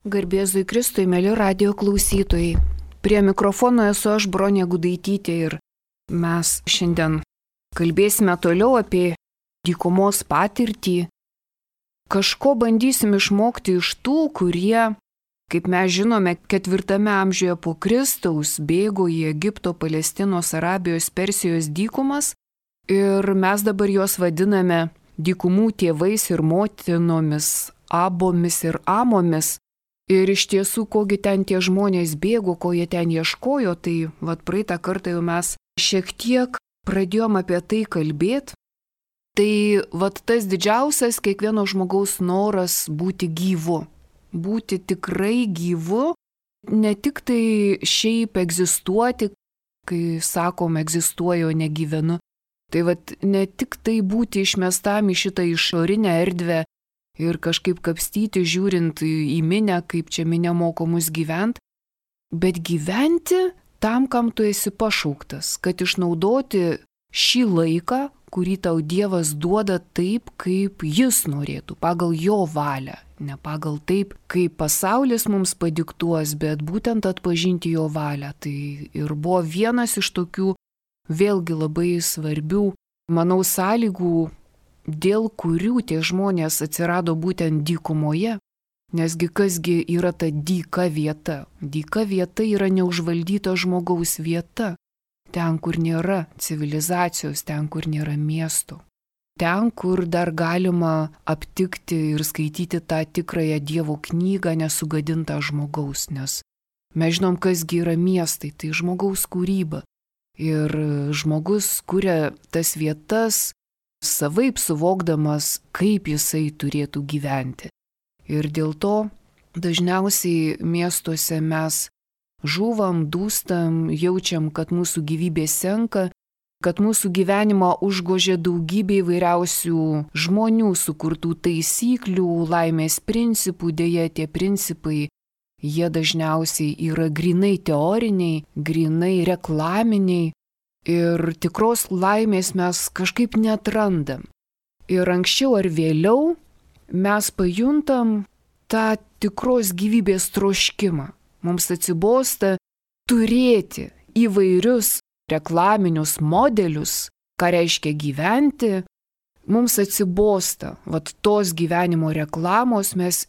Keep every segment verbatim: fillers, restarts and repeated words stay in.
Garbėzui Kristui, mėly radio klausytojai. Prie mikrofono esu aš, Bronė Gudaitytė, ir mes šiandien kalbėsime toliau apie dykumos patirtį. Kažko bandysim išmokti iš tų, kurie, kaip mes žinome, ketvirtame amžiuje po Kristaus bėgo į Egipto, Palestinos, Arabijos, Persijos dykumas ir mes dabar juos vadiname dykumų tėvais ir motinomis, Abomis ir Amomis. Ir iš tiesų, kogi ten tie žmonės bėgo, ko jie ten ieškojo, tai vat praeitą kartą jau mes šiek tiek pradėjom apie tai kalbėti. Tai vat tas didžiausias kiekvieno žmogaus noras būti gyvu. Būti tikrai gyvu, ne tik tai šiaip egzistuoti, kai sakom egzistuoju, o negyvenu. Tai vat ne tik tai būti išmestam į šitą išorinę erdvę, ir kažkaip kapstyti, žiūrint į minę, kaip čia minė moko mus gyventi, bet gyventi tam, kam tu esi pašauktas, kad išnaudoti šį laiką, kurį tau Dievas duoda taip, kaip Jis norėtų, pagal Jo valią, ne pagal taip, kaip pasaulis mums padiktuos, bet būtent atpažinti Jo valią. Tai ir buvo vienas iš tokių vėlgi labai svarbių, manau, sąlygų, dėl kurių tie žmonės atsirado būtent dykumoje, nesgi kasgi yra ta dyka vieta. Dyka vieta yra neužvaldyta žmogaus vieta, ten, kur nėra civilizacijos, ten, kur nėra miesto, ten, kur dar galima aptikti ir skaityti tą tikrąją Dievo knygą nesugadintą žmogaus, nes mes žinom, kasgi yra miestai, tai žmogaus kūryba. Ir žmogus kuria tas vietas, savaip suvokdamas, kaip jisai turėtų gyventi. Ir dėl to dažniausiai miestuose mes žūvam, dūstam, jaučiam, kad mūsų gyvybė senka, kad mūsų gyvenimą užgožia daugybė įvairiausių žmonių sukurtų taisyklių, laimės principų. Deja, tie principai, jie dažniausiai yra grinai teoriniai, grinai reklaminiai. Ir tikros laimės mes kažkaip neatrandam. Ir anksčiau ar vėliau mes pajuntam tą tikros gyvybės troškimą. Mums atsibosta turėti įvairius reklaminius modelius, ką reiškia gyventi. Mums atsibosta, vat tos gyvenimo reklamos, mes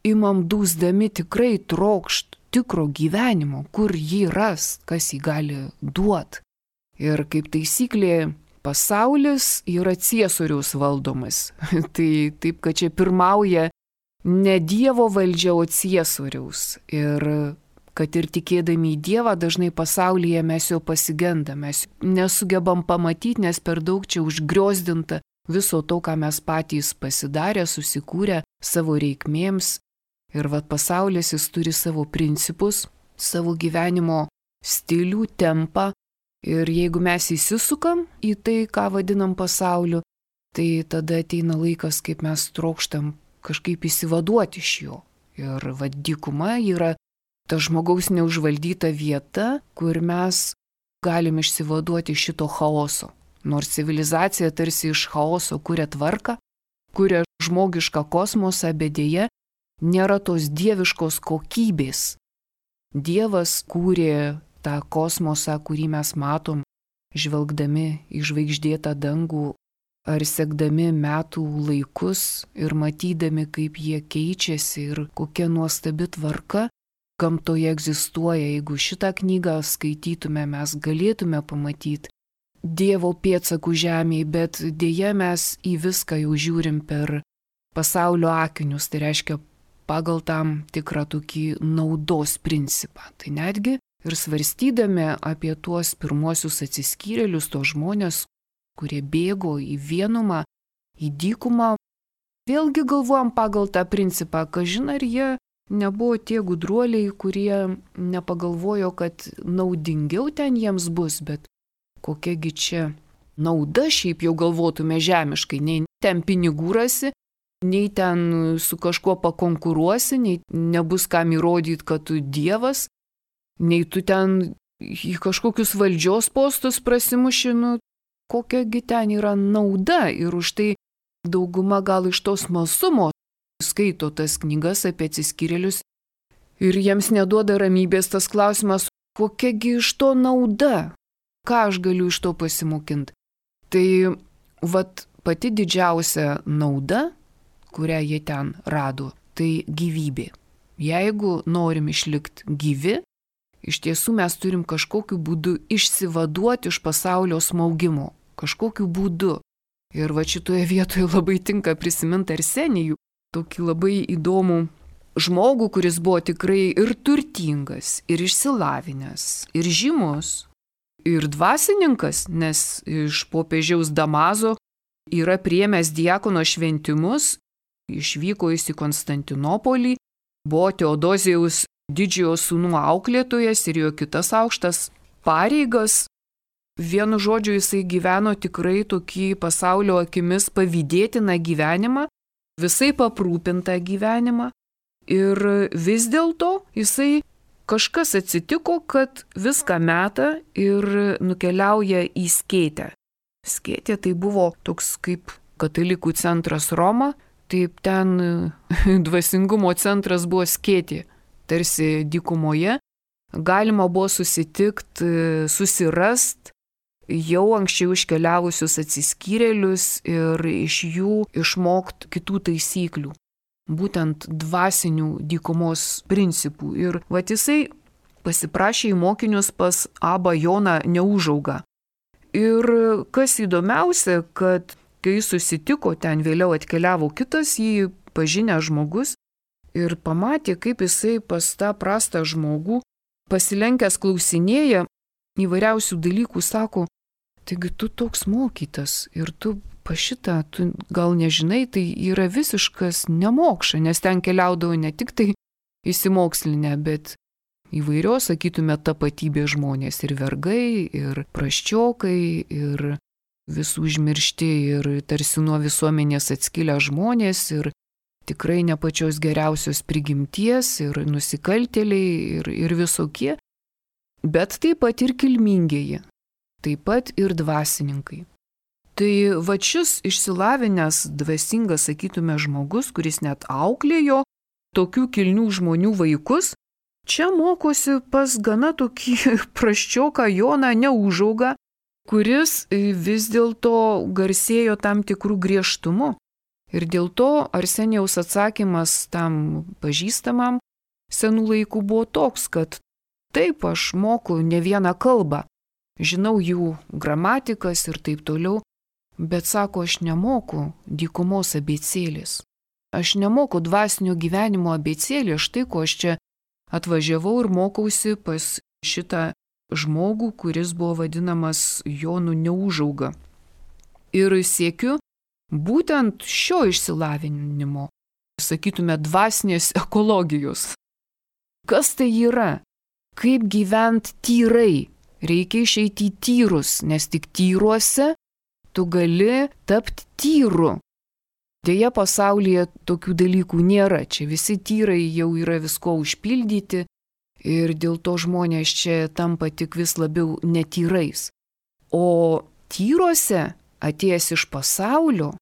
imam dūsdami tikrai trokšt tikro gyvenimo, kur jį ras, kas jį gali duoti. Ir kaip taisyklė, pasaulis yra ciesoriaus valdomas. Tai taip, kad čia pirmauja ne Dievo valdžia, o ciesoriaus. Ir kad ir tikėdami į Dievą, dažnai pasaulyje mes jo pasigendame, mes nesugebam pamatyti, nes per daug čia užgriozdinta viso to, ką mes patys pasidarę, susikūrę savo reikmėms. Ir vat pasaulis jis turi savo principus, savo gyvenimo stilių, tempą. Ir jeigu mes įsisukam į tai, ką vadinam pasauliu, tai tada ateina laikas, kaip mes trokštam kažkaip įsivaduoti iš jo. Ir vad dykuma yra ta žmogaus neužvaldyta vieta, kur mes galim išsivaduoti šito chaoso. Nors civilizacija tarsi iš chaoso kuria tvarką, kuria žmogišką kosmosą, bet deja nėra tos dieviškos kokybės. Dievas kūrė tą kosmosą, kurį mes matom, žvelgdami į žvaigždėtą dangų ar sekdami metų laikus ir matydami, kaip jie keičiasi ir kokia nuostabi tvarka gamtoje egzistuoja. Jeigu šitą knygą skaitytume, mes galėtume pamatyti Dievo pėdsakų žemėje, bet dėja mes į viską jau žiūrim per pasaulio akinius, tai reiškia pagal tam tikrą tokį naudos principą. Tai netgi ir svarstydami apie tuos pirmuosius atsiskyrėlius, tos žmonės, kurie bėgo į vienumą, į dykumą, vėlgi galvojam pagal tą principą, kažin ar jie nebuvo tie gudruoliai, kurie nepagalvojo, kad naudingiau ten jiems bus, bet kokiagi čia nauda šiaip jau galvotume žemiškai, nei ten pinigų rasi, nei ten su kažkuo pakonkuruosi, nei nebus kam įrodyti, kad tu Dievas, nei tu ten į kažkokius valdžios postus prasimuši, nu, kokiagi ten yra nauda. Ir už tai dauguma gal iš tos smalsumo skaito tas knygas apie atsiskyrėlius Ir jiems neduoda ramybės tas klausimas, kokiagi iš to nauda, ką aš galiu iš to pasimokinti. Tai vat pati didžiausia nauda, kurią jie ten rado, tai gyvybė. Jeigu norim išlikti gyvi, iš tiesų mes turim kažkokiu būdu išsivaduoti iš pasaulio smaugimo. Kažkokiu būdu. Ir va šitoje vietoje labai tinka prisiminti Arsenijų, tokį labai įdomų žmogų, kuris buvo tikrai ir turtingas, ir išsilavinęs, ir žymus, ir dvasininkas, nes iš popiežiaus Damazo yra priėmęs diakono šventimus, išvyko jis į Konstantinopolį, buvo Teodozijaus didžiojo sūnų auklėtojas ir jo kitas aukštas pareigas. Vienu žodžiu, jisai gyveno tikrai tokį pasaulio akimis pavydėtiną gyvenimą, visai aprūpintą gyvenimą. Ir vis dėlto jisai kažkas atsitiko, kad viską meta ir nukeliauja į Skėtę. Skėtė tai buvo toks kaip katalikų centras Roma, taip ten dvasingumo centras buvo Skėtė, tarsi dykumoje. Galima buvo susitikti, susirast jau anksčiau iškeliavusius atsiskyrėlius ir iš jų išmokti kitų taisyklių. Būtent dvasinių dykumos principų. Ir vat jisai pasiprašė į mokinius pas Abą Joną Neužaugą. Ir kas įdomiausia, kad kai susitiko, ten vėliau atkeliavo kitas jį pažinęs žmogus ir pamatė, kaip jisai pas tą prastą žmogų pasilenkęs klausinėja įvairiausių dalykų, sako, taigi tu toks mokytas ir tu pašitą, tu gal nežinai, tai yra visiškas nemokša, nes ten keliaudavo ne tik tai įsimokslinę, bet įvairios, sakytume, tapatybės žmonės ir vergai, ir praščiokai, ir visų užmiršti, ir tarsi nuo visuomenės atskilę žmonės, ir tikrai ne pačios geriausios prigimties, ir nusikaltėliai, ir, ir visokie, bet taip pat ir kilmingieji, taip pat ir dvasininkai. Tai va šis išsilavinęs, dvasingas, sakytume, žmogus, kuris net auklėjo tokių kilnių žmonių vaikus, čia mokosi pas gana tokį praščioką Joną Neužaugą, kuris vis dėlto garsėjo tam tikrų griežtumu. Ir dėl to Arsenijaus atsakymas tam pažįstamam senų laikų buvo toks, kad taip, aš moku ne vieną kalbą, žinau jų gramatikas ir taip toliau, bet sako, aš nemoku dykumos abėcėlės. Aš nemoku dvasinio gyvenimo abėcėlės, štai ko aš čia atvažiavau ir mokausi pas šitą žmogų, kuris buvo vadinamas Jonu Neužauga. Ir siekiu būtent šio išsilavinimo, sakytume, dvasinės ekologijos. Kas tai yra? Kaip gyventi tyrai? Reikia išeiti į tyrus, nes tik tyruose tu gali tapti tyru. Deja, pasaulyje tokių dalykų nėra. Čia visi tyrai jau yra visko užpildyti ir dėl to žmonės čia tampa tik vis labiau netyrais. O tyruose, atėjęs iš pasaulio,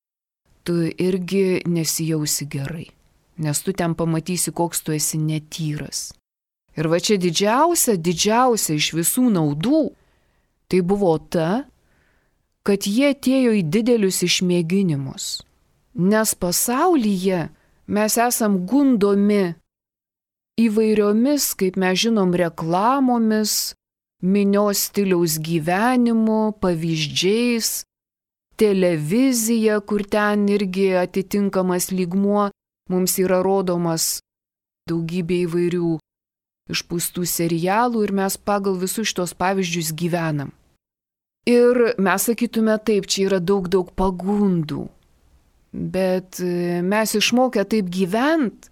tu irgi nesijausi gerai, nes tu ten pamatysi, koks tu esi netyras. Ir va čia didžiausia, didžiausia iš visų naudų, tai buvo ta, kad jie atėjo į didelius išmėginimus. Nes pasaulyje mes esam gundomi įvairiomis, kaip mes žinom, reklamomis, minios stiliaus gyvenimu, pavyzdžiais, televizija, kur ten irgi atitinkamas lygmuo, mums yra rodomas daugybė įvairių išpūstų serialų ir mes pagal visus šitos pavyzdžius gyvenam. Ir mes sakytume taip, čia yra daug, daug pagundų, bet mes išmokę taip gyvent,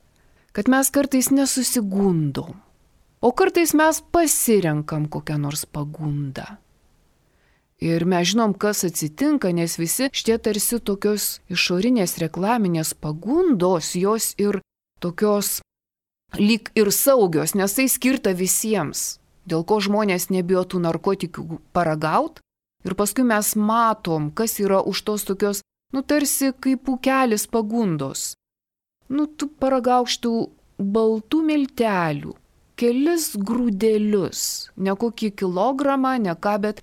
kad mes kartais nesusigundom, o kartais mes pasirenkam kokią nors pagundą. Ir mes žinom, kas atsitinka, nes visi šitie tarsi tokios išorinės reklaminės pagundos, jos ir tokios lyg ir saugios, nes tai skirta visiems, dėl ko žmonės nebijo tų narkotikų paragaut. Ir paskui mes matom, kas yra už tos tokios, nu tarsi kaip pūkelis pagundos. Nu tu paragauk šitų baltų miltelių, kelis grūdelius, ne kokį kilogramą, ne ką, bet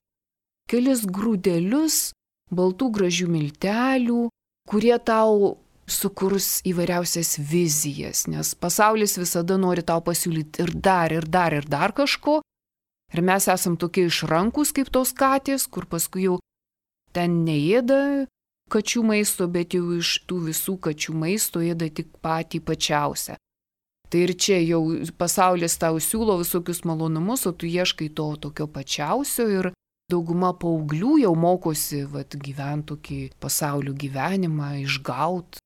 kelis grūdelius baltų gražių miltelių, kurie tau sukurs įvairiausias vizijas, nes pasaulis visada nori tau pasiūlyti ir dar, ir dar, ir dar kažko. Ir mes esam tokie išrankus kaip tos katės, kur paskui jau ten neėda kačių maisto, bet jau iš tų visų kačių maisto ėda tik patį pačiausią. Tai ir čia jau pasaulis tau siūlo visokius malonumus, o tu ieškai to tokio pačiausio ir dauguma paauglių jau mokosi vat, gyventi tokį pasaulio gyvenimą, išgauti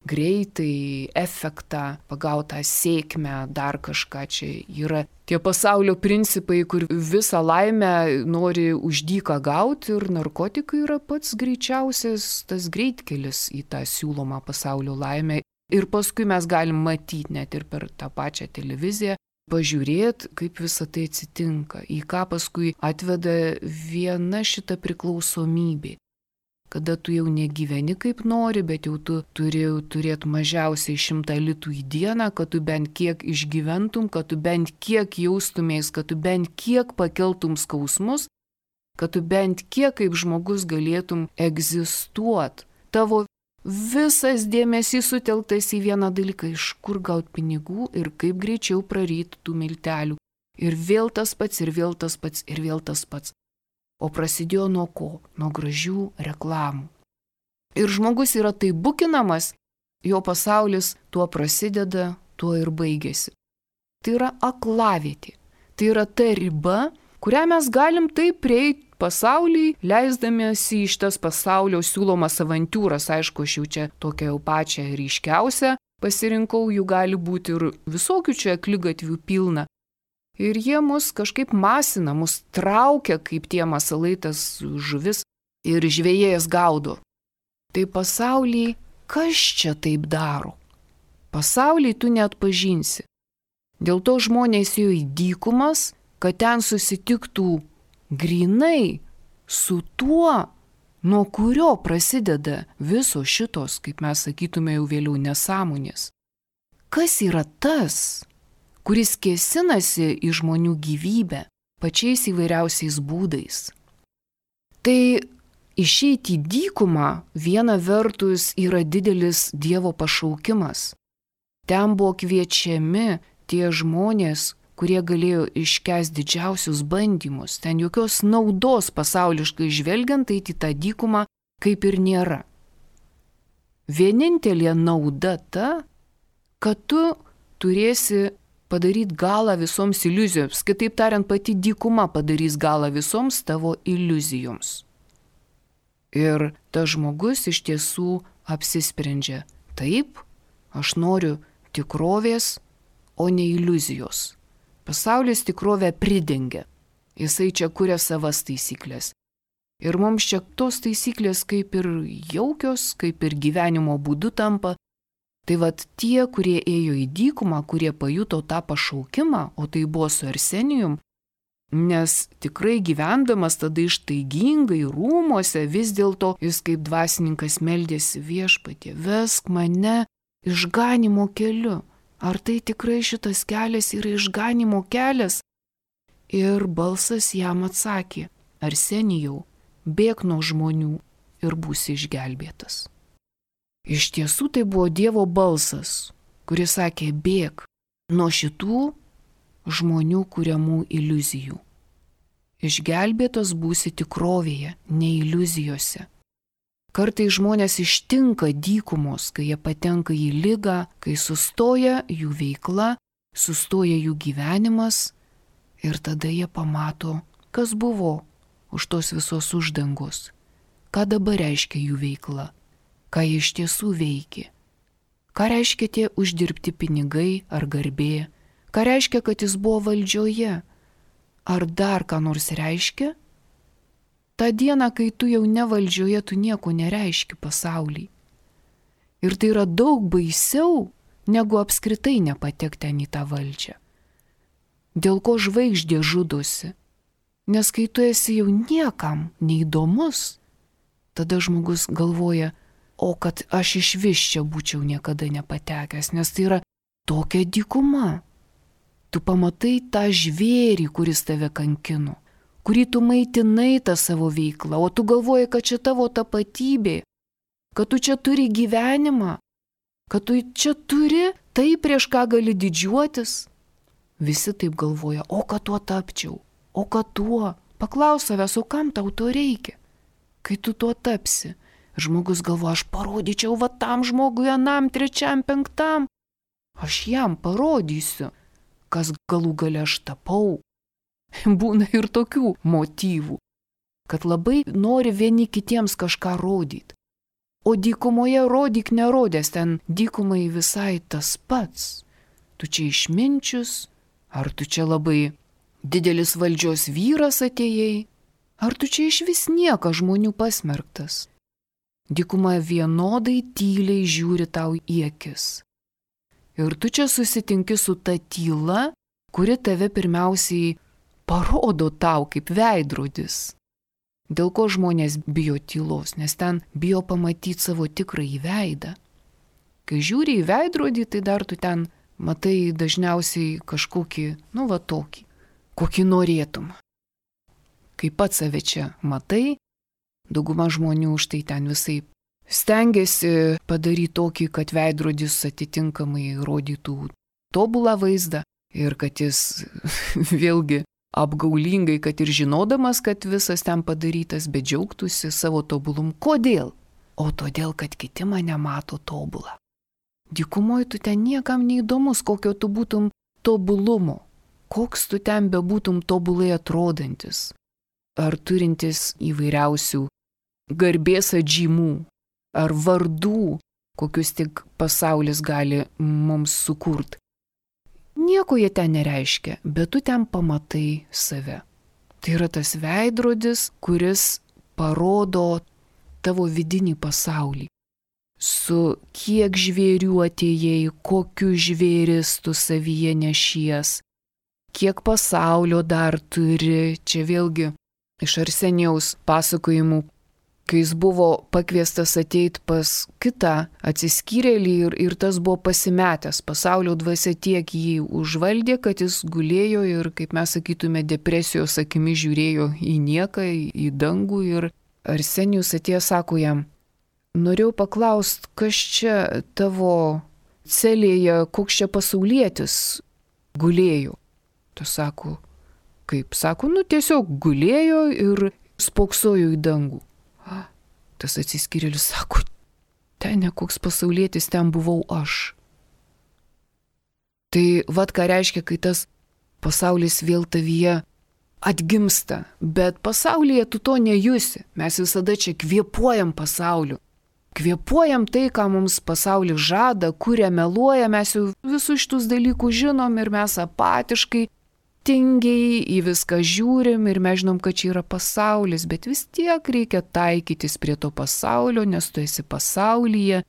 greitai, efektą, pagautą sėkmę, dar kažką. Čia yra tie pasaulio principai, kur visą laimę nori už dyką gauti ir narkotikai yra pats greičiausias tas greitkelis į tą siūlomą pasaulio laimę. Ir paskui mes galim matyti net ir per tą pačią televiziją, pažiūrėti, kaip visa tai atsitinka, į ką paskui atveda viena šita priklausomybė. Kada tu jau negyveni kaip nori, bet jau tu turi turėti mažiausiai šimtą litų į dieną, kad tu bent kiek išgyventum, kad tu bent kiek jaustumės, kad tu bent kiek pakeltum skausmus, kad tu bent kiek kaip žmogus galėtum egzistuoti. Tavo visas dėmesys sutelktas į vieną dalyką, iš kur gauti pinigų ir kaip greičiau praryti tų miltelių. Ir vėl tas pats, ir vėl tas pats, ir vėl tas pats. O prasidėjo nuo ko? Nuo gražių reklamų. Ir žmogus yra taip bukinamas, jo pasaulis tuo prasideda, tuo ir baigėsi. Tai yra aklavietė. Tai yra ta riba, kurią mes galim taip prieiti pasaulį, leisdamiesi iš tas pasaulio siūlomas avantūras. Aišku, aš jau čia tokią jau pačią ryškiausią pasirinkau, jų gali būti ir visokių čia akligatvių pilna. Ir jie mus kažkaip masina, mus traukia, kaip tie masalai, tas žuvis, ir žvejėjas gaudo. Tai pasaulyje, kas čia taip daro? Pasaulyje tu neatpažinsi. Dėl to žmonės ėjo į dykumas, kad ten susitiktų grinai su tuo, nuo kurio prasideda visos šitos, kaip mes sakytume jau vėliau, nesąmonės. Kas yra tas, kuris kėsinasi į žmonių gyvybę pačiais įvairiausiais būdais? Tai išeiti į dykumą viena vertus yra didelis Dievo pašaukimas. Ten buvo kviečiami tie žmonės, kurie galėjo iškęsti didžiausius bandymus. Ten jokios naudos pasauliškai žvelgiant, tai į tą dykumą kaip ir nėra. Vienintelė nauda ta, kad tu turėsi padaryti galą visoms iliuzijoms. Kitaip tariant, pati dykuma padarys galą visoms tavo iliuzijoms. Ir tas žmogus iš tiesų apsisprendžia. Taip, aš noriu tikrovės, o ne iliuzijos. Pasaulis tikrovę pridengia. Jisai čia kuria savas taisyklės. Ir mums čia tos taisyklės kaip ir jaukios, kaip ir gyvenimo būdu tampa. Tai vat tie, kurie ėjo į dykumą, kurie pajuto tą pašaukimą, o tai buvo su Arsenijum, nes tikrai gyvendamas tada ištaigingai rūmuose, vis dėlto jis kaip dvasininkas meldėsi: Viešpatie, vesk mane išganimo keliu. Ar tai tikrai šitas kelias yra išganimo kelias? Ir balsas jam atsakė: Arsenijau, bėk nuo žmonių ir būsi išgelbėtas. Iš tiesų tai buvo Dievo balsas, kuris sakė: bėk nuo šitų žmonių kuriamų iliuzijų. Išgelbėtas būsi tikrovėje, ne iliuzijose. Kartai žmonės ištinka dykumos, kai jie patenka į ligą, kai sustoja jų veikla, sustoja jų gyvenimas ir tada jie pamato, kas buvo už tos visos uždangos, ką dabar reiškia jų veikla. Ką jie iš tiesų veikia. Ką reiškia tie uždirbti pinigai ar garbė? Ką reiškia, kad jis buvo valdžioje? Ar dar ką nors reiškia? Ta diena, kai tu jau ne valdžioje, tu nieko nereiški pasaulyje. Ir tai yra daug baisiau, negu apskritai nepatekti ten į tą valdžią. Dėl ko žvaigždė žudosi? Nes kai tu esi jau niekam neįdomus, tada žmogus galvoja: o kad aš iš vis čia būčiau niekada nepatekęs, nes tai yra tokia dykuma. Tu pamatai tą žvėrį, kuris tave kankino, kurį tu maitinai tą savo veiklą, o tu galvoji, kad čia tavo tapatybė, kad tu čia turi gyvenimą, kad tu čia turi tai, prieš ką gali didžiuotis. Visi taip galvoja, o kad tuo tapčiau, o kad tuo. Paklaus savęs, o kam tau to reikia, kai tu tuo tapsi. Žmogus galvoja, aš parodyčiau va tam žmogui, anam, trečiam, penktam. Aš jam parodysiu, kas galų gale aš tapau. Būna ir tokių motyvų, kad labai nori vieni kitiems kažką rodyti. O dykumoje rodyk nerodęs, ten dykumai visai tas pats. Tu čia išminčius, ar tu čia labai didelis valdžios vyras atėjai, ar tu čia iš vis nieko žmonių pasmerktas. Dykuma vienodai tyliai žiūri tau į akis. Ir tu čia susitinki su ta tyla, kuri tave pirmiausiai parodo tau kaip veidrodis. Dėl ko žmonės bijo tylos, nes ten bijo pamatyti savo tikrąjį veidą. Kai žiūri į veidrodį, tai dar tu ten matai dažniausiai kažkokį, nu va tokį, kokį norėtum. Kai pats save čia matai, dauguma žmonių už tai ten visai stengiasi padaryti tokį, kad veidrodis atitinkamai rodytų tobulą vaizdą ir kad jis vėlgi apgaulingai, kad ir žinodamas, kad visas ten padarytas, bet džiaugtųsi savo tobulum. Kodėl? O todėl, kad kiti mane mato tobulą. Dykumoje tu ten niekam neįdomus, kokio tu būtum tobulumo, koks tu ten bebūtum tobulai atrodantis, ar turintis įvairiausių garbės atžymų, ar vardų, kokius tik pasaulis gali mums sukurti. Nieko jie ten nereiškia, bet tu ten pamatai save. Tai yra tas veidrodis, kuris parodo tavo vidinį pasaulį. Su kiek žvėrių atėjai, kokiu žvėris tu savyje nešies, kiek pasaulio dar turi. Čia vėlgi iš Arsenijaus pasakojimų, kai jis buvo pakviestas ateiti pas kitą atsiskyrėlį ir, ir tas buvo pasimetęs. Pasaulio dvasia tiek jį užvaldė, kad jis gulėjo ir, kaip mes sakytume, depresijos akimi žiūrėjo į nieką, į dangų. Ir Arsenijus atėjo, sako jam, norėjau paklausti, kas čia tavo celėje, koks čia pasaulietis gulėjo. Tu sako, kaip? Sako, nu tiesiog gulėjo ir spoksojo į dangų. Tas atsiskyrėlis sako, ten ne koks pasaulietis, ten buvau aš. Tai vat ką reiškia, kai tas pasaulis vėl tavyje atgimsta, bet pasaulyje tu to nejusi. Mes visada čia kvėpuojam pasauliu. Kvėpuojam tai, ką mums pasaulis žada, kuria meluoja, mes jau visus šitus dalykus žinom ir mes apatiškai tingiai į viską žiūrim ir mes žinom, kad čia yra pasaulis, bet vis tiek reikia taikytis prie to pasaulio, nes tu esi pasaulyje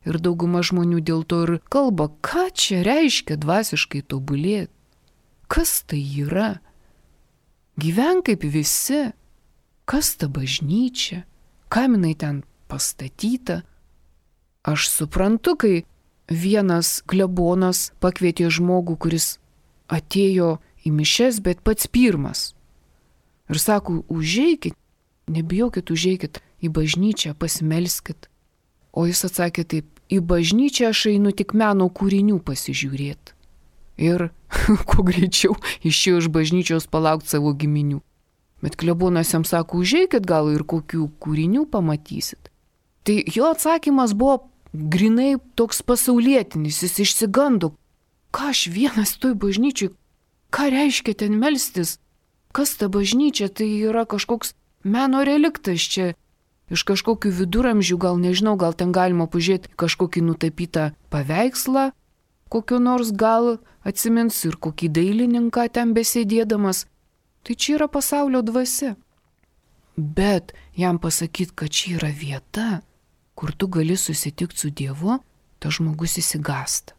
ir dauguma žmonių dėl to ir kalba, ką čia reiškia dvasiškai tobulėti. Kas tai yra? Gyvenk kaip visi. Kas ta bažnyčia? Kam jinai ten pastatyta? Aš suprantu, kai vienas klebonas pakvietė žmogų, kuris atėjo į mišias, bet pats pirmas. Ir sako, užeikit, nebijokit, užeikit į bažnyčią, pasimelskit. O jis atsakė taip, į bažnyčią aš einu tik meno kūrinių pasižiūrėti. Ir kuo greičiau išėjo iš bažnyčios palaukti savo giminių. Bet klebonas jam sako, užeikit gal ir kokių kūrinių pamatysit. Tai jo atsakymas buvo grinai toks pasaulietinis, jis išsigando. Ką aš vienas toj bažnyčiai? Ką reiškia ten melstis? Kas ta bažnyčia? Tai yra kažkoks meno reliktas čia. Iš kažkokių viduramžių, gal nežinau, gal ten galima pažiūrėti kažkokį nutapytą paveikslą, kokio nors gal atsimins ir kokį dailininką ten besėdėdamas. Tai čia yra pasaulio dvasia. Bet jam pasakyti, kad čia yra vieta, kur tu gali susitikti su Dievu, tas žmogus įsigąsta.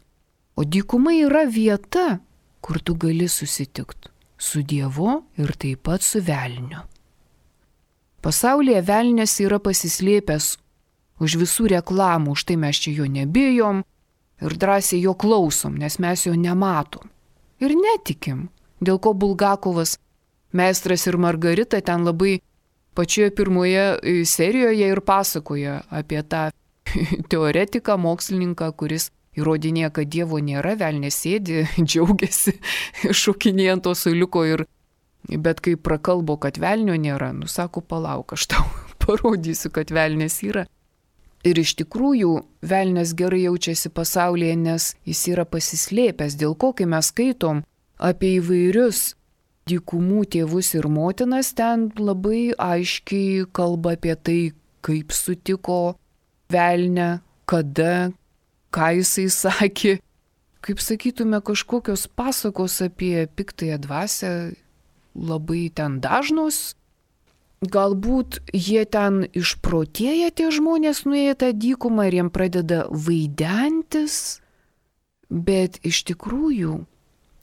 O dykuma yra vieta, kur tu gali susitikti su Dievu ir taip pat su velniu. Pasaulyje velnias yra pasislėpęs už visų reklamų, už tai mes čia jo nebijom, ir drąsiai jo klausom, nes mes jo nematom. Ir netikim, dėl ko Bulgakovas, Meistras ir Margarita ten labai pačioje pirmoje serijoje ir pasakoja apie tą teoretiką, mokslininką, kuris įrodinėja, kad Dievo nėra, velnės sėdi, džiaugiasi, šokinėja ant to suoliuko ir bet kai prakalbo, kad velnio nėra, nu sako, palauk, aš tau parodysiu, kad velnės yra. Ir iš tikrųjų, velnės gerai jaučiasi pasaulyje, nes jis yra pasislėpęs, dėl ko, kai mes skaitom apie įvairius dykumų tėvus ir motinas, ten labai aiškiai kalba apie tai, kaip sutiko velnę, kada, ką jisai sakė. Kaip sakytume, kažkokios pasakos apie piktąją dvasią labai ten dažnos. Galbūt jie ten išprotėję tie žmonės nuėję tą dykumą ir jiem pradeda vaidentis, bet iš tikrųjų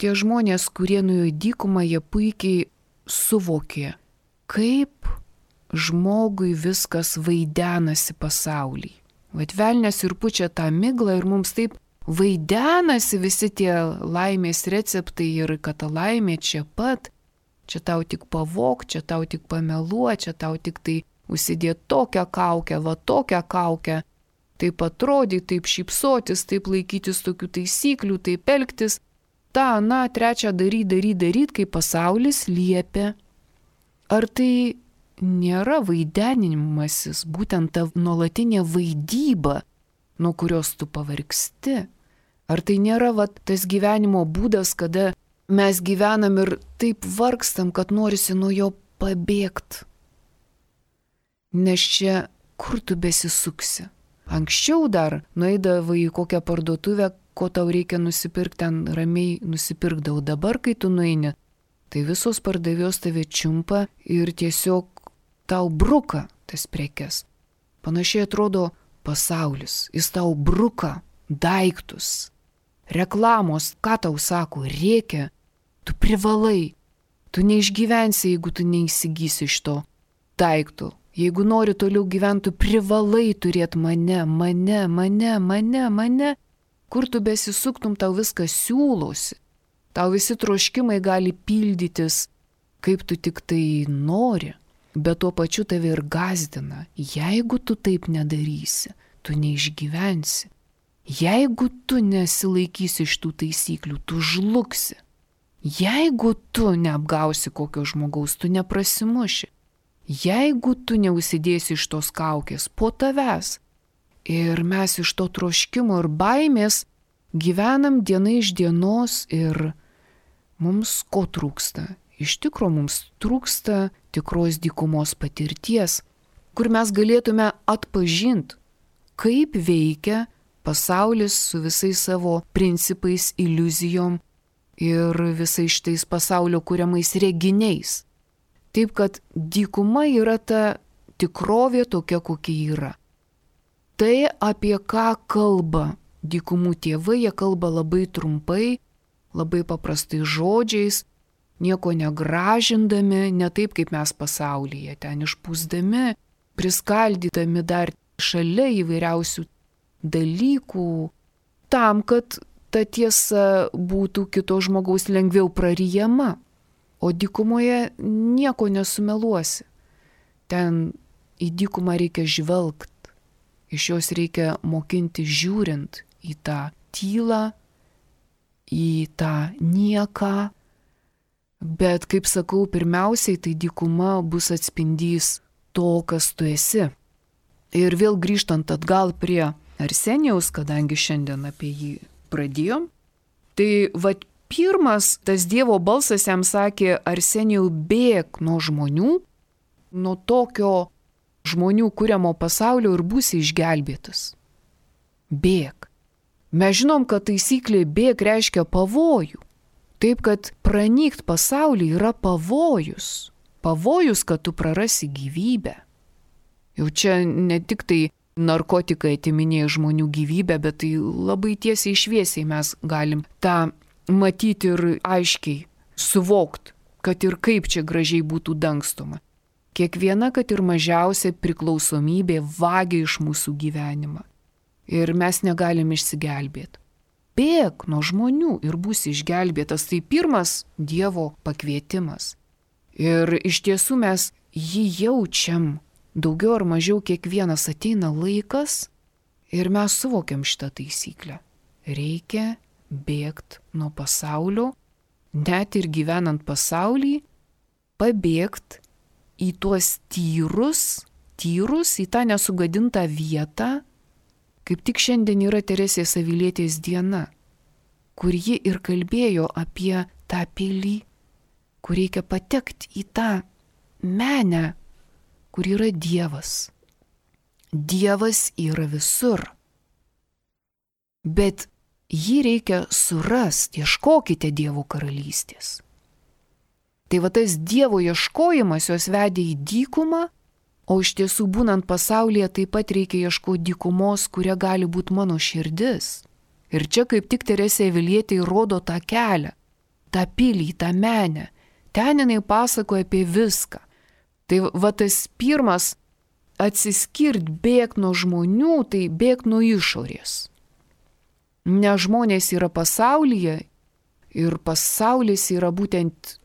tie žmonės, kurie nuėjo į dykumą, jie puikiai suvokė, kaip žmogui viskas vaidenasi pasaulyje. Vat velnias ir pučia tą miglą ir mums taip vaidenasi visi tie laimės receptai ir kad ta laimė čia pat. Čia tau tik pavok, čia tau tik pameluo, čia tau tik tai užsidėti tokią kaukę, va tokią kaukę, taip atrodyti, taip šypsotis, taip laikytis tokių taisyklių, taip elgtis, tą, na, trečią daryt, daryt, daryt, kaip pasaulis liepia. Ar tai nėra vaidenimasis, būtent ta nuolatinė vaidyba, nuo kurios tu pavargsti? Ar tai nėra va, tas gyvenimo būdas, kada mes gyvenam ir taip vargstam, kad norisi nuo jo pabėgti. Nes čia kur tu besisuksi? Anksčiau dar nueidavai į kokią parduotuvę, ko tau reikia nusipirkti, ten ramiai nusipirkdavau. Dabar, kai tu nueini, tai visos pardavėjos tave čiumpa ir tiesiog tau bruka tas prekes. Panašiai atrodo pasaulis. Jis tau bruka daiktus. Reklamos, ką tau sako, reikia. Tu privalai, tu neišgyvensi, jeigu tu neįsigysi iš to daikto. Jeigu nori toliau gyventi, tu privalai turėti mane, mane, mane, mane, mane. Kur tu besisuktum, tau viskas siūlosi. Tau visi troškimai gali pildytis, kaip tu tik tai nori, bet tuo pačiu tave ir gąsdina. Jeigu tu taip nedarysi, tu neišgyvensi. Jeigu tu nesilaikysi iš tų taisyklių, tu žlugsi. Jeigu tu neapgausi kokio žmogaus, tu neprasimuši. Jeigu tu neusidėsi iš tos kaukės po tavęs. Ir mes iš to troškimo ir baimės gyvenam diena iš dienos ir mums ko trūksta? Iš tikro mums trūksta tikros dykumos patirties, kur mes galėtume atpažinti, kaip veikia pasaulis su visais savo principais, iliuzijom ir visais šitais pasaulio kuriamais reginiais. Taip, kad dykuma yra ta tikrovė tokia, kokia yra. Tai, apie ką kalba dykumų tėvai, jie kalba labai trumpai, labai paprastai žodžiais, nieko negražindami, ne taip kaip mes pasaulyje, ten išpūsdami, priskaldydami dar šalia įvairiausių dalykų, tam, kad ta tiesa būtų kito žmogaus lengviau praryjama. O dykumoje nieko nesumeluosi. Ten į dykumą reikia žvelgt, iš jos reikia mokinti žiūrint į tą tylą, į tą nieką. Bet, kaip sakau, pirmiausiai tai dykuma bus atspindys to, kas tu esi. Ir vėl grįžtant atgal prie Arsenijaus, kadangi šiandien apie jį pradėjom, tai vat pirmas tas Dievo balsas jam sakė, Arsenijau, bėk nuo žmonių, nuo tokio žmonių kuriamo pasaulio ir būsi išgelbėtas. Bėk. Mes žinom, kad taisyklė bėk reiškia pavojų. Taip, kad pranykt pasaulį yra pavojus. Pavojus, kad tu prarasi gyvybę. Jau čia ne tik tai narkotikai atiminėja žmonių gyvybę, bet tai labai tiesiai šviesiai mes galim tą matyti ir aiškiai suvokti, kad ir kaip čia gražiai būtų dangstoma. Kiekviena, kad ir mažiausia priklausomybė vagia iš mūsų gyvenimą. Ir mes negalim išsigelbėti. bėk nuo žmonių ir būsi išgelbėtas. Tai pirmas Dievo pakvietimas. Ir iš tiesų mes jį jaučiam, daugiau ar mažiau kiekvienas ateina laikas ir mes suvokiam šitą taisyklę. Reikia bėgti nuo pasaulio, net ir gyvenant pasaulį, pabėgti į tuos tyrus, tyrus, į tą nesugadintą vietą. Kaip tik šiandien yra Teresės Avilietės diena, kur ji ir kalbėjo apie tą pilį, kur reikia patekti į tą menę, kur yra Dievas. Dievas yra visur. Bet jį reikia surasti, ieškokite Dievo karalystės. Tai va tas Dievo ieškojimas jos vedė į dykumą, o iš tiesų būnant pasaulyje taip pat reikia ieškoti dykumos, kuria gali būti mano širdis. Ir čia kaip tik Teresė Avilietė rodo tą kelią, tą pilį, tą menę. Ten jinai pasakoja apie viską. Tai va tas pirmas atsiskirt, bėgti nuo žmonių, tai bėgti nuo išorės. Ne žmonės yra pasaulyje ir pasaulis yra būtent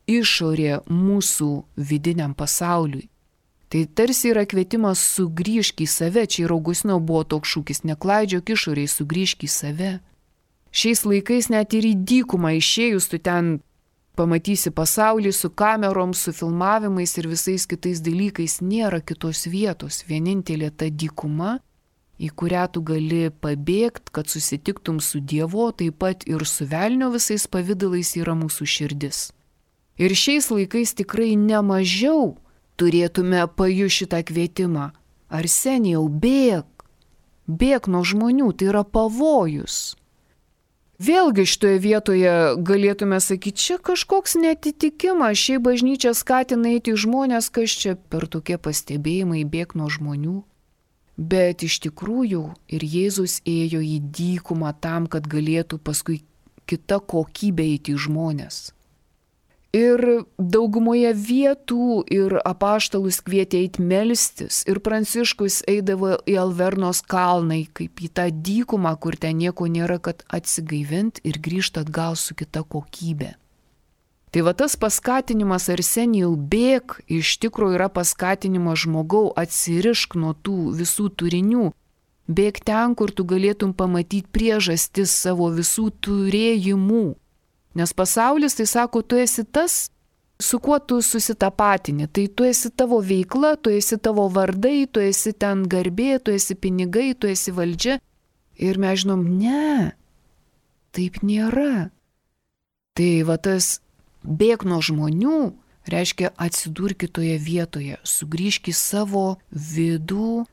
išorė mūsų vidiniam pasauliui. Tai tarsi yra kvietimas sugrįžk į save, čia ir Augustino buvo toks šūkis, neklaidžiok išorėj, sugrįžk į save. Šiais laikais net ir į dykumą išėjus, tu ten pamatysi pasaulį su kamerom, su filmavimais ir visais kitais dalykais, nėra kitos vietos, vienintelė ta dykuma, į kurią tu gali pabėgti, kad susitiktum su Dievu, taip pat ir su velnio visais pavydalais yra mūsų širdis. Ir šiais laikais tikrai nemažiau turėtume pajusti šitą kvietimą. Arsenijau, bėk, bėk nuo žmonių, tai yra pavojus. Vėlgi šitoje vietoje galėtume sakyti, čia kažkoks netitikimas, šiai bažnyčia skatina eiti žmonės, kas čia per tokie pastebėjimai bėk nuo žmonių. Bet iš tikrųjų ir Jėzus ėjo į dykumą tam, kad galėtų paskui kita kokybė eiti žmonės. Ir daugumoje vietų ir apaštalus kvietė eiti melstis, ir Pranciškus eidavo į Alvernos kalną, kaip į tą dykumą, kur ten nieko nėra, kad atsigaivinti ir grįžti atgal su kita kokybė. Tai va tas paskatinimas Arsenijau bėk, iš tikrųjų yra paskatinimas žmogau, atsirišk nuo tų visų turinių, bėk ten, kur tu galėtum pamatyti priežastis savo visų turėjimų. Nes pasaulis, tai sako, tu esi tas, su kuo tu susitapatini. Tai tu esi tavo veikla, tu esi tavo vardai, tu esi ten garbė, tu esi pinigai, tu esi valdžia. Ir mes žinom, ne, taip nėra. Tai va tas bėk nuo žmonių reiškia atsidurk kitoje vietoje, sugrįžk į savo vidų,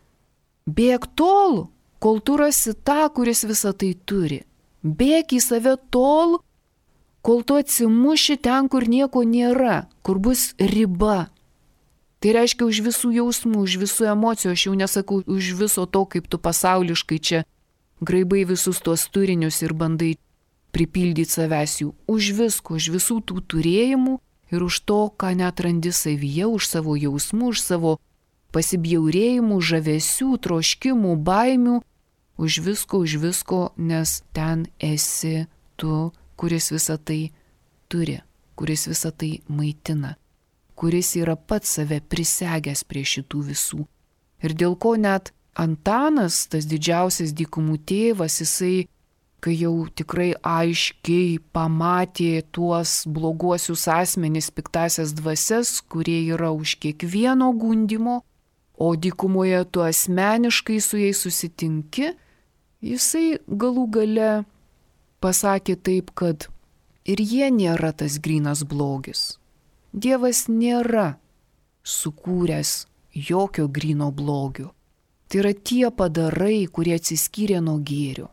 bėk tol, kol tu rasi tą, kuris visą tai turi. Bėk į save tol, kol tu atsimuši ten, kur nieko nėra, kur bus riba. Tai reiškia už visų jausmų, už visų emocijų, aš jau nesakau už viso to, kaip tu pasauliškai čia graibai visus tuos turinius ir bandai pripildyti savęs jų. Už visko, už visų tų turėjimų ir už to, ką net randi savyje, už savo jausmų, už savo pasibjaurėjimų, žavesių, troškimų, baimių, už visko, už visko, nes ten esi tu, kuris visą tai turi, kuris visą tai maitina, kuris yra pats save prisegęs prie šitų visų. Ir dėl ko net Antanas, tas didžiausias dykumų tėvas, jisai, kai jau tikrai aiškiai pamatė tuos bloguosius asmenis, piktasias dvasias, kurie yra už kiekvieno gundimo, o dykumoje tu asmeniškai su jais susitinki, jisai galų gale pasakė taip, kad ir jie nėra tas grynas blogis. Dievas nėra sukūręs jokio gryno blogio. Tai yra tie padarai, kurie atsiskyrė nuo gėrio.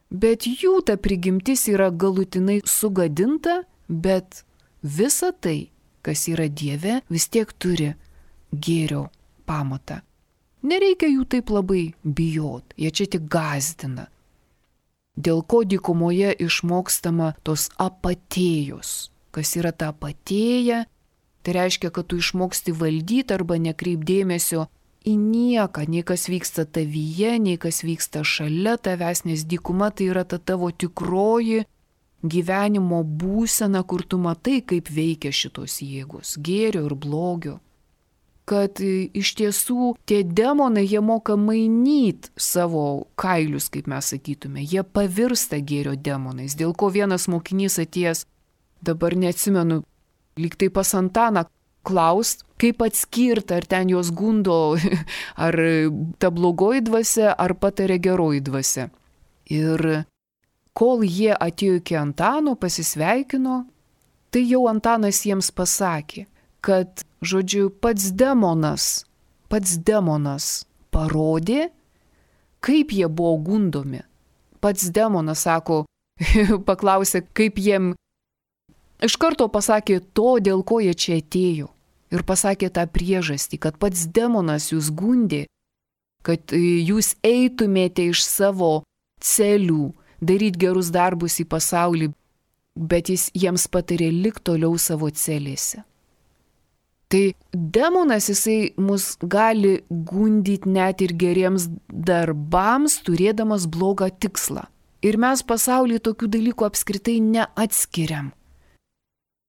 Bet jų ta prigimtis yra galutinai sugadinta, bet visa tai, kas yra Dieve, vis tiek turi gėrio pamatą. Nereikia jų taip labai bijot, jie čia tik gąsdina. Dėl ko dykumoje išmokstama tos apatėjos. Kas yra ta apatėja? Tai reiškia, kad tu išmoksti valdyti arba nekreipdėmėsio į nieką, nei kas vyksta tavyje, nei kas vyksta šalia tavęs, nes dykuma tai yra ta tavo tikroji gyvenimo būsena, kur tu matai, kaip veikia šitos jėgos, gėrio ir blogio. Kad iš tiesų tie demonai, jie moka mainyti savo kailius, kaip mes sakytume, jie pavirsta gėrio demonais, dėl ko vienas mokinys atėjęs, dabar neatsimenu, lyg tai pas Antaną, klaust, kaip atskirti, ar ten jos gundo, ar ta blogoji dvasia, ar patarė geroji dvasia. Ir kol jie atėjo iki Antano, pasisveikino, tai jau Antanas jiems pasakė, kad, žodžiu, pats demonas, pats demonas parodė, kaip jie buvo gundomi. Pats demonas, sako, paklausė, kaip jiem, iš karto pasakė to, dėl ko jie čia atėjo. Ir pasakė tą priežastį, kad pats demonas jūs gundė, kad jūs eitumėte iš savo celių, daryti gerus darbus į pasaulį, bet jis jiems patarė likti toliau savo celėse. Tai demonas, jisai mus gali gundyti net ir geriems darbams, turėdamas blogą tikslą. Ir mes pasaulyje tokių dalykų apskritai neatskiriam.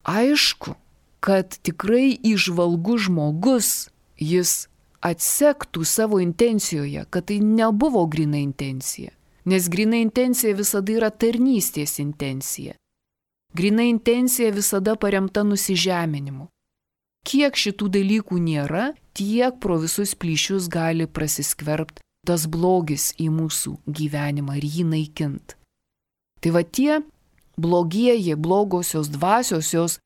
Aišku, kad tikrai įžvalgus žmogus, jis atsektų savo intencijoje, kad tai nebuvo gryna intencija. Nes gryna intencija visada yra tarnystės intencija. Gryna intencija visada paremta nusižeminimu. Kiek šitų dalykų nėra, tiek pro visus plyšius gali prasiskverbti tas blogis į mūsų gyvenimą ir jį naikint. Tai va tie blogieji, blogosios dvasios, jos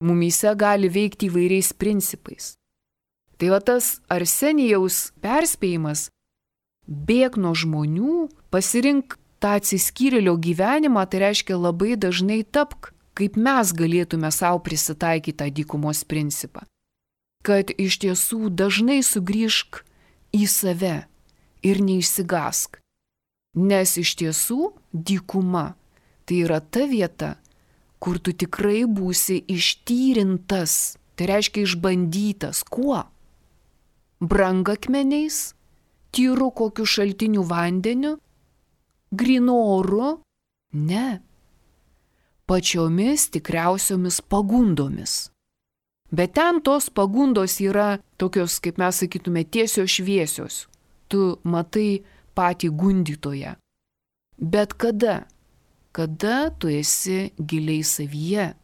mumyse gali veikti įvairiais principais. Tai va tas Arsenijaus perspėjimas, bėk nuo žmonių, pasirink tą atsiskyrėlio gyvenimą, tai reiškia labai dažnai tapk, kaip mes galėtume savo prisitaikyti tą dykumos principą. Kad iš tiesų dažnai sugrįžk į save ir neišsigask. Nes iš tiesų dykuma tai yra ta vieta, kur tu tikrai būsi ištyrintas, tai reiškia išbandytas. Kuo? Brangakmeniais, tyru kokiu šaltiniu vandeniu, grynu oru? Ne. Pačiomis tikriausiomis pagundomis. Bet ten tos pagundos yra tokios, kaip mes sakytume, tiesios šviesios. Tu matai patį gundytoją. Bet kada? Kada tu esi giliai savyje.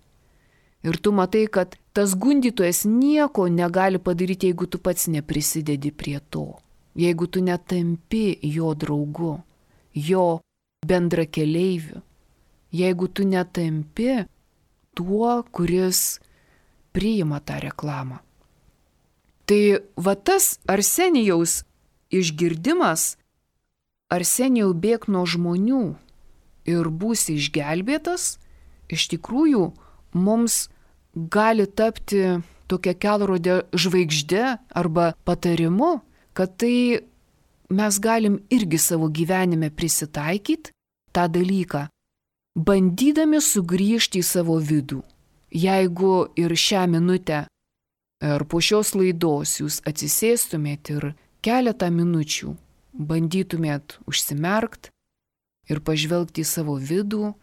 Ir tu matai, kad tas gundytojas nieko negali padaryti, jeigu tu pats neprisidedi prie to. Jeigu tu netampi jo draugu, jo bendrakeleiviu. Jeigu tu netampi tuo, kuris priima tą reklamą. Tai va tas Arsenijaus išgirdimas, Arsenijau bėk nuo žmonių ir būsi išgelbėtas, iš tikrųjų mums gali tapti tokia kelrodė žvaigždė arba patarimu, kad tai mes galim irgi savo gyvenime prisitaikyti tą dalyką, bandydami sugrįžti į savo vidų. Jeigu ir šią minutę ar po šios laidos jūs atsisėstumėt ir keletą minučių bandytumėt užsimerkt ir pažvelgti į savo vidų,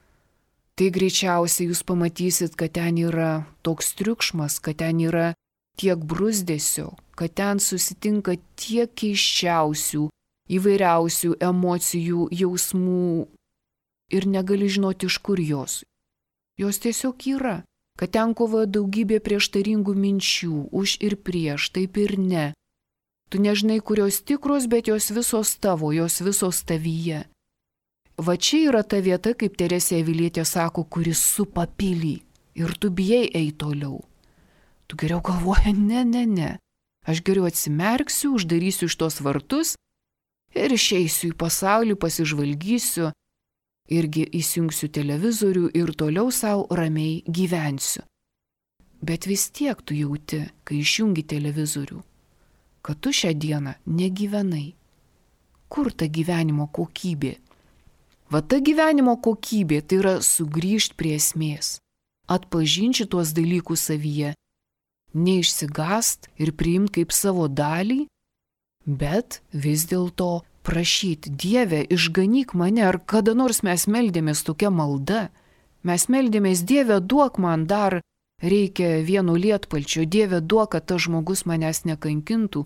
tai greičiausiai jūs pamatysit, kad ten yra toks triukšmas, kad ten yra tiek bruzdesio, kad ten susitinka tiek keiščiausių, įvairiausių emocijų, jausmų ir negali žinoti, iš kur jos. Jos tiesiog yra, kad ten kovoja daugybė prieštaringų minčių, už ir prieš, taip ir ne. Tu nežinai, kurios tikros, bet jos visos tavo, jos visos tavyje. Va čia yra ta vieta, kaip Teresė Avilietė sako, kuris supa pilį ir tu bijai eiti toliau. Tu geriau galvoji, ne, ne, ne. Aš geriau atsimerksiu, uždarysiu iš tos vartus ir išeisiu į pasaulį, pasižvalgysiu, irgi įsijungsiu televizorių ir toliau savo ramiai gyvensiu. Bet vis tiek tu jauti, kai išjungi televizorių, kad tu šią dieną negyvenai. Kur ta gyvenimo kokybė? Va ta gyvenimo kokybė tai yra sugrįžti prie esmės, atpažinti tuos dalykus savyje, neišsigast ir priimti kaip savo dalį, bet vis dėlto prašyti, Dieve, išganyk mane, ar kada nors mes meldėmės tokia malda. Mes meldėmės, Dieve, duok man dar, reikia vieno lietpalčio, Dieve, duok, kad tas žmogus manęs nekankintų.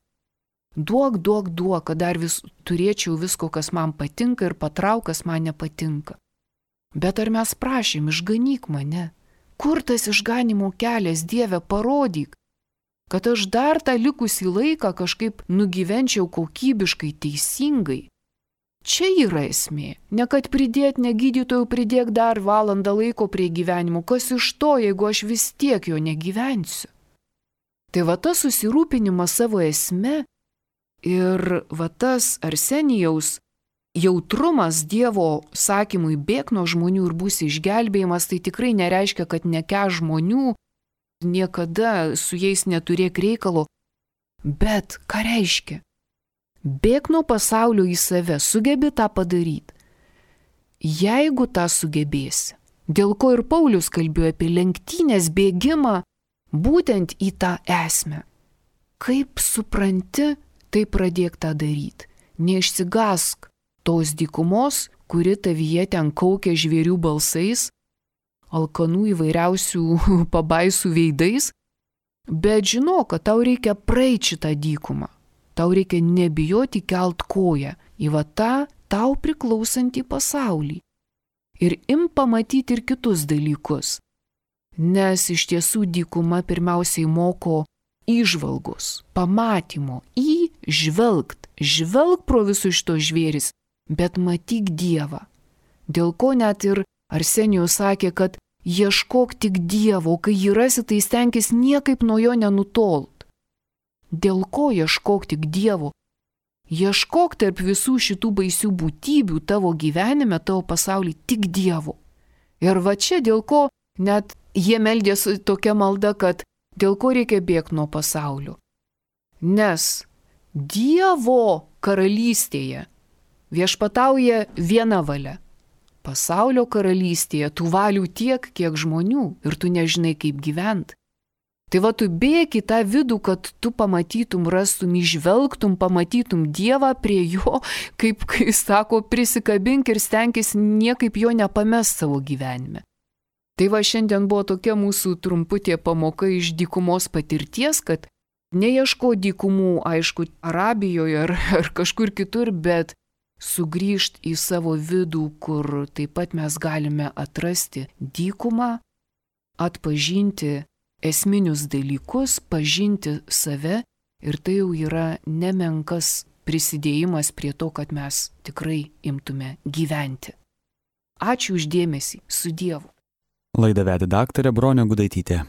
Duok, duok, duok, kad dar vis turėčiau visko, kas man patinka ir patrauk, kas man nepatinka. Bet ar mes prašym, išganyk mane? Kur tas išganimo kelias, Dieve, parodyk, kad aš dar tą likusį laiką kažkaip nugyvenčiau kokybiškai, teisingai. Čia yra esmė. Ne kad pridėt, ne gydytojų pridėk dar valandą laiko prie gyvenimo. Kas iš to, jeigu aš vis tiek jo negyvensiu? Tai va tas susirūpinimas savo esme ir va tas Arsenijaus jautrumas Dievo sakymui bėk nuo žmonių ir būsi išgelbėjimas, tai tikrai nereiškia, kad neke žmonių, niekada su jais neturėk reikalo. Bet ką reiškia? Bėk nuo pasaulio į save, sugebi tą padaryti. Jeigu tą sugebėsi, dėl ko ir Paulius kalbėjo apie lenktynės bėgimą, būtent į tą esmę. Kaip supranti, tai pradėk tą daryti. Neišsigask tos dykumos, kuri tavyje ten kaukia žvėrių balsais, alkanų įvairiausių pabaisų veidais, bet žinok, kad tau reikia praeiti šitą dykumą. Tau reikia nebijoti kelt koją į va tą tau priklausantį pasaulį. Ir im pamatyti ir kitus dalykus. Nes iš tiesų dykuma pirmiausiai moko įžvalgos, pamatymo, įžvelgt, žvelg pro visus šitos žvėris, bet matyk Dievą. Dėl ko net ir Arsenijus sakė, kad ieškok tik Dievo, kai jį rasi, tai stenkis niekaip nuo jo nenutolt. Dėl ko ieškok tik Dievo? Ieškok tarp visų šitų baisių būtybių tavo gyvenime, tavo pasaulyje tik Dievo. Ir va čia dėl ko net jie meldėsi tokia malda, kad dėl ko reikia bėgti nuo pasaulio. Nes Dievo karalystėje viešpatauja viena valia. Pasaulio karalystėje tų valių tiek, kiek žmonių ir tu nežinai, kaip gyventi. Tai va tu bėk į tą vidų, kad tu pamatytum, rastum, išvelgtum, pamatytum Dievą prie jo, kaip, kai sako, prisikabink ir stenkis niekaip jo nepamest savo gyvenime. Tai va šiandien buvo tokia mūsų trumputė pamoka iš dykumos patirties, kad neieško dykumų, aišku, Arabijoje ar, ar kažkur kitur, bet sugrįžt į savo vidų, kur taip pat mes galime atrasti dykumą, atpažinti esminius dalykus, pažinti save ir tai jau yra nemenkas prisidėjimas prie to, kad mes tikrai imtume gyventi. Ačiū už dėmesį, su Dievu. Laidą vedė daktarė Bronė Gudaitytė.